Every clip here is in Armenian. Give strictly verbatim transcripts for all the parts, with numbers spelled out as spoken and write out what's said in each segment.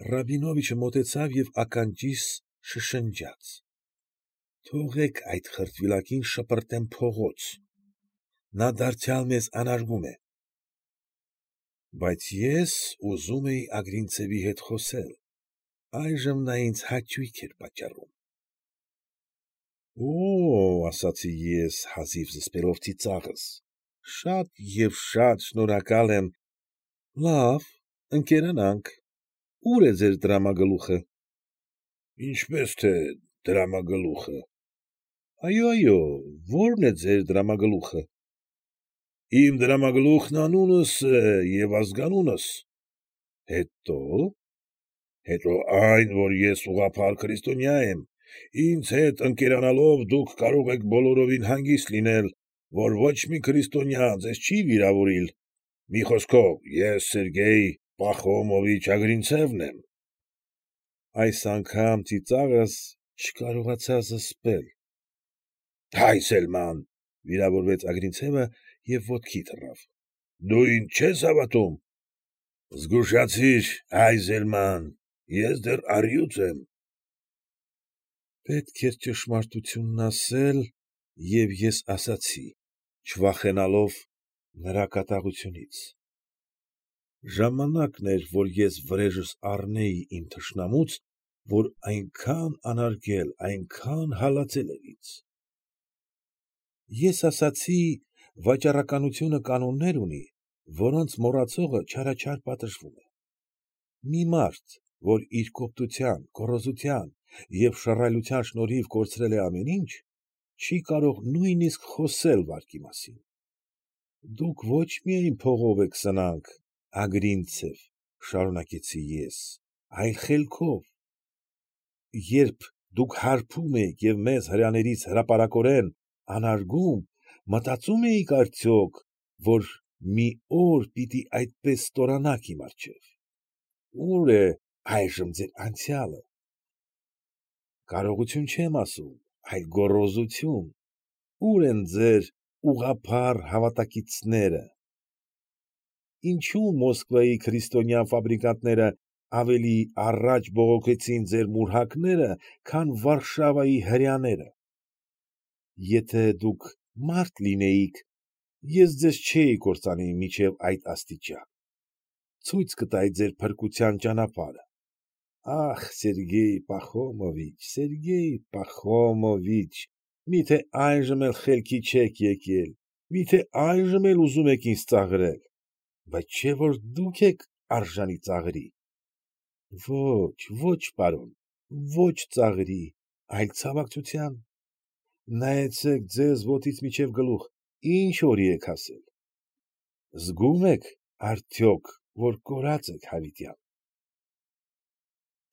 Ռաբինովիչը մոտեցավ և ականջիս շշնջաց. ֊ Թողեք այդ խրտվիլակին շպրտեմ փողոց, նա դարձյալ մեզ անարգում է։ Բայց ես ուզում էի Ագրինցևի հետ խոսել, այժմ նա ինձ հաճույք էր պատճառում։ ֊ Օ՜օ, ֊ ասացի ես, հազիվ զսպելով ծիծաղս, ֊ շատ և շատ շնորհակալ եմ, լավ, ընկերանանք, ո՞ւր է ձեր դրամագլուխը։ ֊ Ինչպես թե դրամագլուխը։ ֊ Այո՛, այո, ո՞րն է ձեր դրամագլուխը։ ֊ Իմ դրամագլուխն անունս և ազգանունս։ ֊ Հետո՞։ ֊ Հետո այն, որ ես ուղղափառ քրիստոնյա եմ, ինձ հետ ընկերանալով դուք կարող եք բոլորովին հանգիստ լինել, որ ոչ մի քրիստոնյա ձեզ չի վիրավորիլ, մի խոսքով, ես Սերգեյ Պախոմովիչ Ագրինցևն եմ։ Այս անգամ ծիծաղս չկարողացա զսպել։ ֊ Այզելման,֊ վիրավորվեց Ագրինցևը և ոտքի թռավ,֊ դու ինձ չե՞ս հավատում։ ֊ Զգուշացիր, Այզելման, ես դեռ առյուծ եմ։ Պետք էր ճշմարտությունն ասել, և ես ասացի, չվախենալով նրա կատաղությունից. ժամանակն էր, որ ես վրեժս առնեի իմ թշնամուց, որ այնքան անարգել, այնքան հալածել էր ինձ։ Ես ասացի, վաճառականությունը կանոններ ունի, որոնց մոռացողը չարաչար պատժվում է։ Մի մարդ, որ իր կոպտության, գոռոզության և շռայլության շնորհիվ կորցրել է ամեն ինչ, չի կարող նույնիսկ խոսել վարկի մասին։ Դուք ոչ միայն փողով եք սնանք, Ագրինցև, ֊ շարունակեցի ես, ֊ այլ խելքով։ Երբ դուք հարբում էիք և մեզ հրեաներիս հրապարակորեն անարգում, մտածո՞ւմ էիք արդյոք, որ մի օր պիտի այդպես ստորանաք իմ առջև։ Ո՞ւր է այժմ ձեր անցյալը։ Կարողություն չեմ ասում, այլ գոռոզություն, ո՞ւր են ձեր ուղղափառ հավատակիցները։ Ինչո՞ւ Մոսկվայի քրիստոնյա ֆաբրիկանտները ավելի առաջ բողոքեցին ձեր մուրհակները, քան Վարշավայի հրեաները։ Եթե դուք մարդ լինեիք, ես ձեզ չէի կործանի մինչև այդ աստիճան, ցույց կտայի ձեր փրկության ճանապարհը։ Ախ, Սերգեյ Պախոմովիչ, Սերգեյ Պախոմովիչ, մի՞թե այժմ էլ խելքի չեք եկել, մի՞թե այժմ էլ ուզում եք ինձ ծաղրել, բայց չէ՞ որ դուք եք արժանի ծաղրի։ Ո՛չ, ո՛չ, պարոն, ո՛չ ծաղրի, այլ ցավակցության։ Նայեցեք ձեզ ոտքից մինչև գլուխ ինչ օրի եք հասել։ Զգո՞ւմ եք արդյոք, որ կորած եք հավիտյան։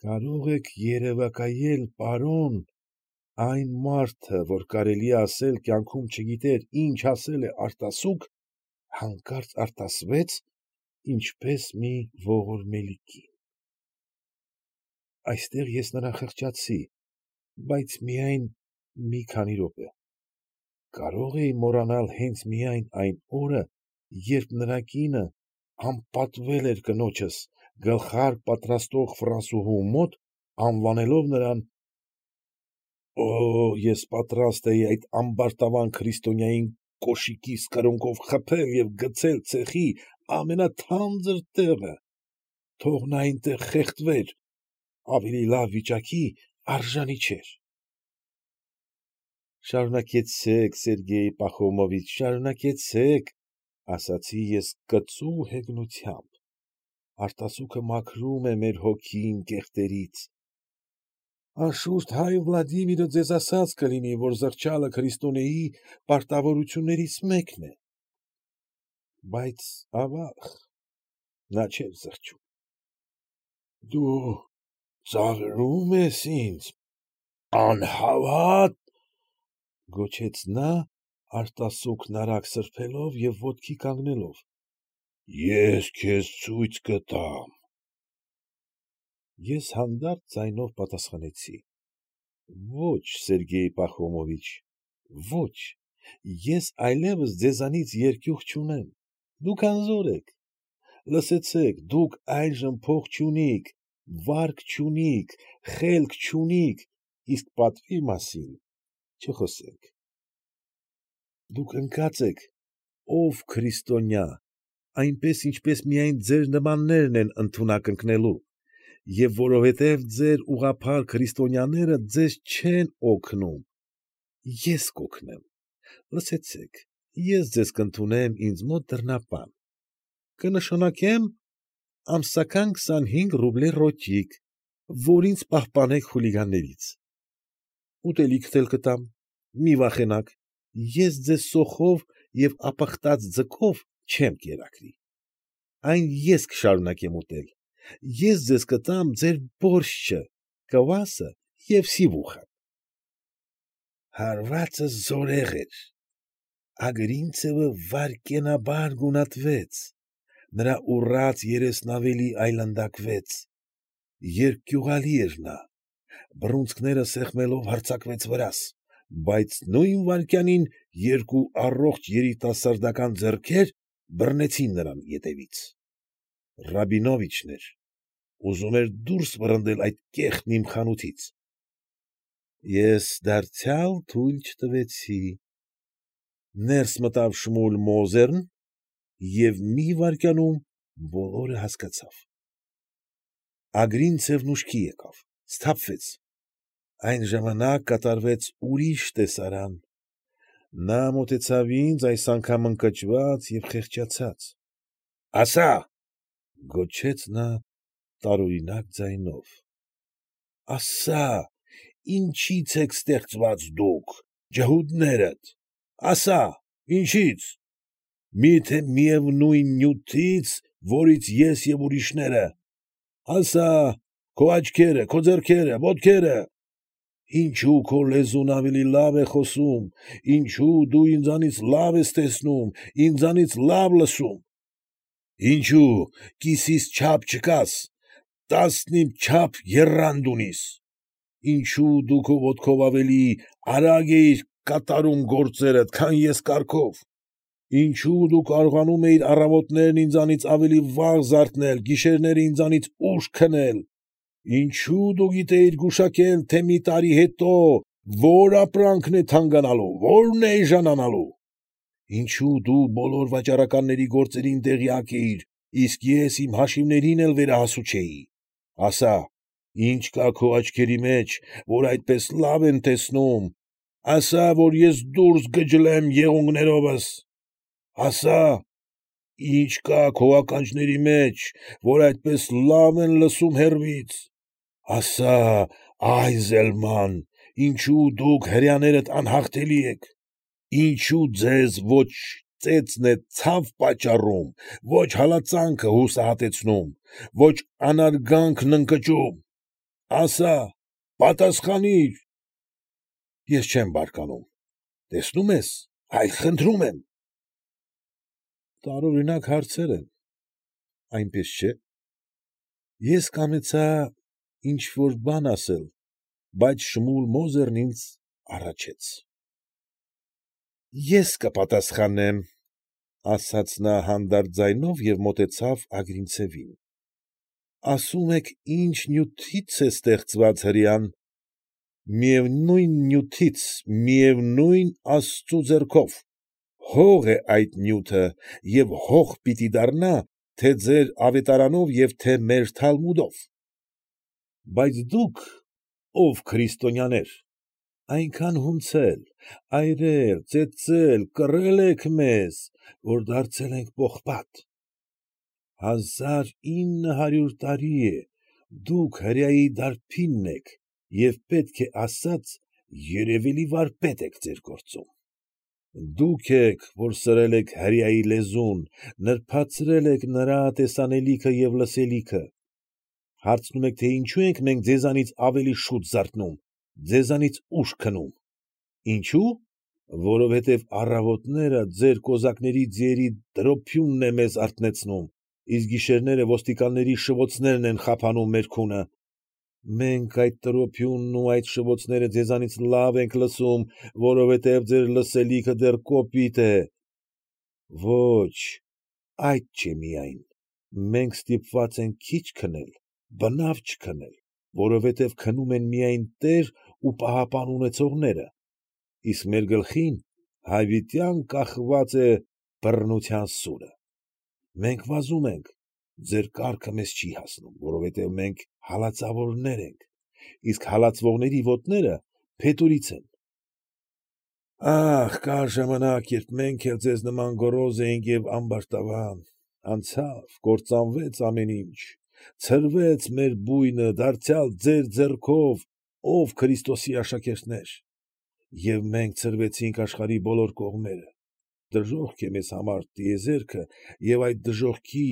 Կարո՞ղ եք երևակայել, պարոն, այն մարդը, որ կարելի է ասել կյանքում չգիտեր ինչ ասել է արտասուք, հանկարծ արտասվեց, ինչպես մի ողորմելի կին։ Այստեղ ես նրան խղճացի, բայց միայն մի քանի րոպե։ Կարո՞ղ էի մոռանալ հենց միայն այն օրը, երբ նրա կինը անպատվել էր կնոջս գլխարկ պատրաստող ֆրանսուհու մոտ, անվանելով նրան… Օ՜, ես պատրաստ էի այդ ամբարտավան քրիստոնյային կոշկիս կրունկով խփել և գցել ցեխի ամենաթանձր տեղը, թող նա այնտեղ խեղդվեր, ավելի լավ վիճակի արժանի չէր։ ֊ Շարունակեցեք, Սերգեյ Պախոմովիչ, շարունակեցեք, ֊ ասացի ես կծու հեգնությամբ, արտասուքը մաքրում է մեր հոգին կեղտերից։ Անշուշտ հայր Վլադիմիրը ձեզ ասած կլինի, որ զղջալը քրիստոնեի պարտավորություններից մեկն է։ Բայց, ավաղ, նա չէր զղջում։ ֊ Դու ծաղրում ես ինձ, անհավատ, ֊ գոչեց նա, արտասուքն արագ սրբելով և ոտքի կանգնելով, ֊ ես քեզ ցույց կտամ։ Ես հանդարտ ձայնով պատասխանեցի. ֊ Ո՛չ, Սերգեյ Պախոմովիչ, ո՛չ, ես այլևս ձեզանից երկյուղ չունեմ, դուք անզոր եք, լսեցեք, դուք այժմ փող չունիք, վարկ չունիք, խելք չունիք, իսկ պատվի մասին չխոսենք։ Դուք ընկած եք, ով քրիստոնյա, այնպես, ինչպես միայն ձեր նմաններն են ընդունակ ընկնելու, և որովհետև ձեր ուղղափառ քրիստոնյաները ձեզ չեն օգնում, ես կօգնեմ, լսեցեք, ես ձեզ կընդունեմ ինձ մոտ դռնապան, կնշանակեմ ամսական քսանհինգ ռուբլի ռոճիկ, որ ինձ պահպանեք խուլիգաններից, ուտելիքդ էլ կտամ, մի վախենաք, ես ձեզ սոխով և ապխտած ձկով չեմ կերակրի, այն ես կշարունակեմ ուտել, ես ձեզ կտամ ձեր բորշչը, կվասը և սիվուխան։ Հարվածս զորեղ էր, Ագրինցևը վայրկենաբար գունատվեց, նրա ուռած երեսն ավելի այլանդակվեց, երկյուղալի էր նա, բռունցքները սեղմելով հարձակվեց վրաս, բայց նույն վայրկյանին երկու առողջ երիտասարդական ձեռքեր բռնեցին նրան ետևից։ Ռաբինովիչն էր, ուզում էր դուրս վռնդել այդ կեղտն իմ խանութից։ Ես դարձյալ թույլ չտվեցի։ Ներս մտավ Շմուլ Մոզերն և մի վայրկյանում բոլորը հասկացավ։ Ագրինցևն ուշքի եկավ, սթափվեց։ Այն ժամանակ կատարվեց ուրիշ տեսարան։ Նա մոտեցավ ինձ այս անգամ ընկճված և խեղճացած։ ֊ Ասա՛, ֊ գոչեց նա տարօրինակ ձայնով, ֊ ասա՛, ինչի՞ց եք ստեղծված դուք, ջհուդներդ, ասա՛, ինչի՞ց, մի՞թե միևնույն նյութից, որից ես և ուրիշները, ասա՛, քո աչքերը, քո ձեռքերը, ոտքերը, ինչո՞ւ քո լեզուն ավելի լավ է խոսում, ինչո՞ւ դու ինձանից լավ ես տեսնում, ինձանից լավ լսում, ինչո՞ւ կիսիս չափ չկաս, տասնիմ չափ եռանդ ունիս, ինչո՞ւ դու քո ոտքով ավելի արագ էիր կատարում գործերդ, քան ես կառքով, ինչո՞ւ դու կարողանում էիր առավոտներն ինձանից ավելի վաղ զարթնել, գիշերները ինձանից ուշ քնել, ինչո՞ւ դու գիտեիր գուշակել, թե մի տարի հետո ո՞ր ապրանքն է թանկանալու, ո՞րն է էժանանալու, ինչո՞ւ դու բոլոր վաճառականների գործերին տեղյակ էիր, իսկ ես իմ հաշիվներին էլ վերահասու չէի, ասա, ի՞նչ կա քո աչքերի մեջ, որ այդպես լավ են տեսնում, ասա, որ ես դուրս գջլեմ եղունգներովս, ասա, ի՞նչ կա քո ականջների մեջ, որ այդպես լավ են լսում հեռվից, ասա, Այզելման, ինչո՞ւ դուք հրեաներդ անհաղթելի եք, ինչո՞ւ ձեզ ոչ ծեծն է ցավ պատճառում, ոչ հալածանքը հուսահատեցնում, ոչ անարգանքն ընկճում, ասա, պատասխանիր։ Ես չեմ բարկանում, տեսնում ես, այ խնդրում եմ։ Տարօրինակ հարցեր են, այնպես չէ։ Ես կամեցա ինչ֊որ բան ասել, բայց Շմուլ Մոզերն ինձ առաջեց։ Ես կպատասխանեմ, ֊ ասաց նա հանդարտ ձայնով և մոտեցավ Ագրինցևին, ֊ ասում եք ինչ նյութից է ստեղծված հրեան, միևնույն նյութից, միևնույն աստծու ձեռքով, հող է այդ նյութը և հող պիտի դառնա թե՛ ձեր ավետարանով և թե՛ մեր թալմուդով, բայց դուք, ով քրիստոնյաներ, այնքան հունցել, այրել, ծեծել, կռել եք մեզ, որ դարձել ենք պողպատ, հազար ինը հարյուր տարի է դուք հրեայի դարբինն եք և պետք է ասած երևելի վարպետ եք ձեր գործում, դուք եք, որ սրել եք հրեայի լեզուն, նրբացրել եք նրա տեսանելիքը և լսելիքը, հարցնում եք, թե ինչո՞ւ ենք մենք ձեզանից ավելի շուտ զարթնում, ձեզանից ուշ քնում, ինչո՞ւ, որովհետև առավոտները ձեր կոզակների ձիերի տրոփյունն է մեզ արթնեցնում, իսկ գիշերները ոստիկանների շվոցներն են խափանում մեր քունը, մենք այդ տրոփյունն ու այդ շվոցները ձեզանից լավ ենք լսում, որովհետև ձեր լսելիքը դեռ կոպիտ է, ոչ, այդ չէ միայն, մենք ստիպված ենք քիչ քնել, բնավ չքնել, որովհետև քնում են միայն տեր ու պահապան ունեցողները, իսկ մեր գլխին հավիտյան կախված է բռնության սուրը։ Մենք վազում ենք, ձեր կառքը մեզ չի հասնում, որովհետև մենք հալածվողներ ենք, իսկ հալածվողների ոտները փետուրից են։ Ա՜խ, կար ժամանակ, երբ մենք էլ ձեզ նման գոռոզ էինք և ամբարտավան, անցավ, կործանվեց ամեն ինչ, ցրվեց մեր բույնը, դարձյալ ձեր ձեռքով, ով Քրիստոսի աշակերտներ, և մենք ցրվեցինք աշխարհի բոլոր կողմերը, դժոխք է մեզ համար տիեզերքը և այդ դժոխքի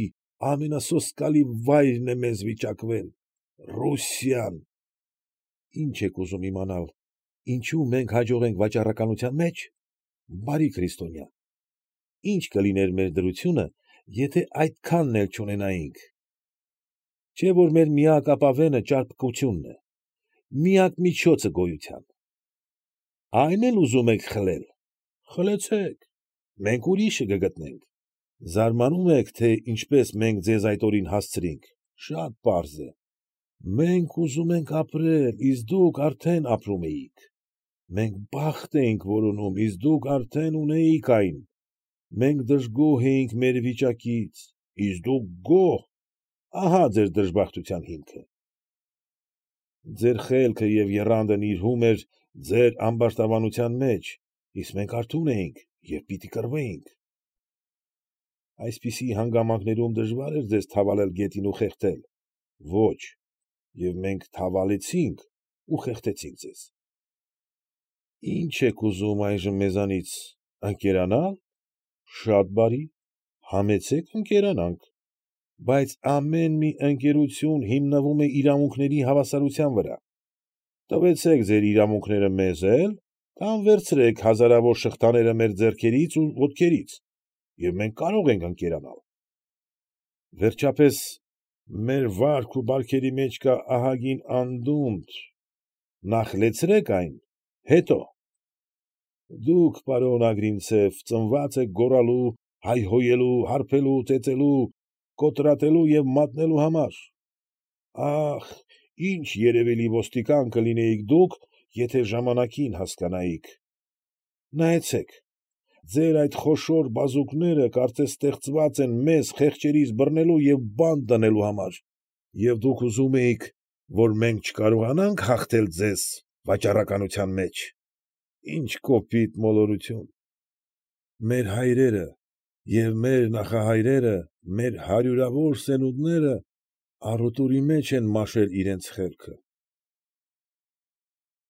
ամենասոսկալի վայրն է մեզ վիճակվել, Ռուսիան։ Ի՞նչ եք ուզում իմանալ, ինչո՞ւ մենք հաջող ենք վաճառականության մեջ, բարի քրիստոնյա, ի՞նչ կլիներ մեր դրությունը, եթե այդքանն էլ չունենայինք։ Չէ՞ որ մեր միակ ապավենը ճարպկությունն է, միակ միջոցը գոյության։ Այն էլ ուզում եք խլել, խլեցեք, մենք ուրիշը կգտնենք։ Զարմանում եք, թե ինչպես մենք ձեզ այդ օրին հասցրինք, շատ պարզ է։ Մենք ուզում ենք ապրել, իսկ դուք արդեն ապրում էիք։ Մենք բախտ էինք որոնում, իսկ դուք արդեն ունեիք այն։ Մենք դժգոհ էինք մեր վիճակից, իսկ դուք գոհ, ահա՛ ձեր դժբախտության հիմքը։ Ձեր խելքը և եռանդը նիրհում էր ձեր ամբարտավանության մեջ, իսկ մենք արթուն էինք և պիտի կռվեինք։ Այսպիսի հանգամանքներում դժվար էր ձեզ թավալել գետին ու խեղդել։ Ո՛չ, և մենք թավալեցինք ու խեղդեցինք ձեզ։ Ի՞նչ եք ուզում այժմ մեզանից, ընկերանա՞լ, շատ բարի, համեցեք ընկերանանք, բայց ամեն մի ընկերություն հիմնվում է իրավունքների հավասարության վրա։ Տվեցեք ձեր իրավունքները մեզ էլ կամ վերցրեք հազարավոր շղթաները մեր ձեռքերից ու ոտքերից, և մենք կարող ենք ընկերանալ։ Վերջապես, մեր վարք ու բարքերի մեջ կա ահագին անդունդ, նախ լեցրեք այն, հետո։ Դուք, պարոն Ագրինցև, ծնված եք գոռալու, հայհոյելու, հարբելու, ծեծելու, կոտրատելու և մատնելու համար։ Ախ, ինչ երևելի ոստիկան կլինեիք դուք, եթե ժամանակին հասկանայիք։ Նայեցեք, ձեր այդ խոշոր բազուկները կարծես ստեղծված են մեզ խեղճերիս բռնելու և բանտ դնելու համար, և դուք ուզում էիք, որ մենք չկարողանա՞նք հաղթել ձեզ վաճառականության մեջ։ Ի՜նչ կոպիտ մոլորություն։ Մեր հայրերը և մեր նախահայրերը, մեր հարյուրավոր սերունդները առուտուրի մեջ են մաշել իրենց խելքը։